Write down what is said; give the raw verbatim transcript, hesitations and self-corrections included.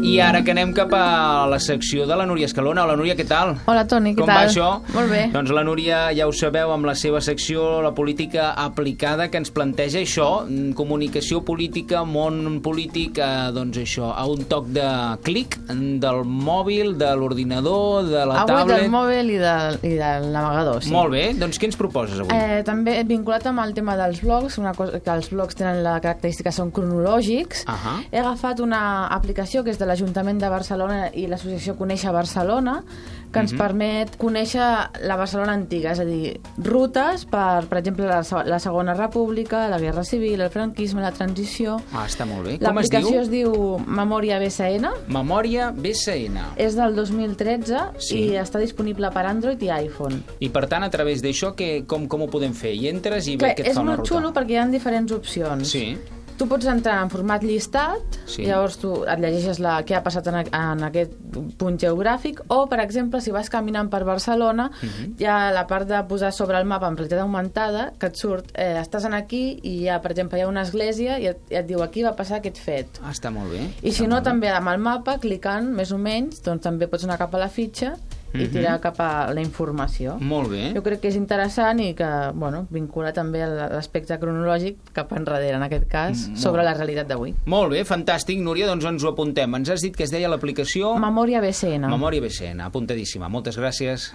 I ara que anem cap a la secció de la Núria Escalona. Hola, Núria, què tal? Hola, Toni, què Com tal? va això? Molt bé. Doncs la Núria, ja ho sabeu, amb la seva secció, la política aplicada, que ens planteja això, comunicació política, món polític, eh, doncs això, a un toc de clic del mòbil, de l'ordinador, de la avui tablet... del mòbil i, de, i del navegador, sí. Molt bé, doncs què ens proposes avui? Eh, també vinculat amb el tema dels blogs, una cosa que els blogs tenen la característica són cronològics. Ahà. He agafat una aplicació que és de l'Ajuntament de Barcelona i l'associació Conèixer Barcelona, que ens Mhm. permet conèixer la Barcelona antiga, és a dir, rutes per, per exemple, la, se- la Segona República, la Guerra Civil, el franquisme, la transició. Ah, està molt bé. Com es diu? L'aplicació es diu Memòria B C N. Memòria B C N. És del dos mil tretze Sí. i està disponible per Android i iPhone. I per tant, a través d'això, que, com, com ho podem fer? Hi entres i Que ve què et és fa una molt ruta? xulo perquè hi ha diferents opcions. Sí. Tu pots entrar en format llistat, Sí. llavors tu et llegeixes la, què ha passat en, a- en aquest punt geogràfic, o, per exemple, si vas caminant per Barcelona, Mhm. hi ha la part de posar sobre el mapa en realitat augmentada, que et surt, eh, estàs en aquí i hi ha, per exemple, hi ha una església i et, i et diu aquí va passar aquest fet. Ah, està molt bé. I està si no, molt bé. també amb el mapa, clicant més o menys, doncs també pots anar cap a la fitxa i Mhm. tirar cap a la informació. Molt bé. Jo crec que és interessant i que, bueno, vincula també a l'aspecte cronològic cap enrere, en aquest cas, Mm, sobre molt. la realitat d'avui. Molt bé, fantàstic, Núria, doncs ens ho apuntem. Ens has dit que es deia l'aplicació... Memòria B C N. Memòria B C N, apuntadíssima. Moltes gràcies.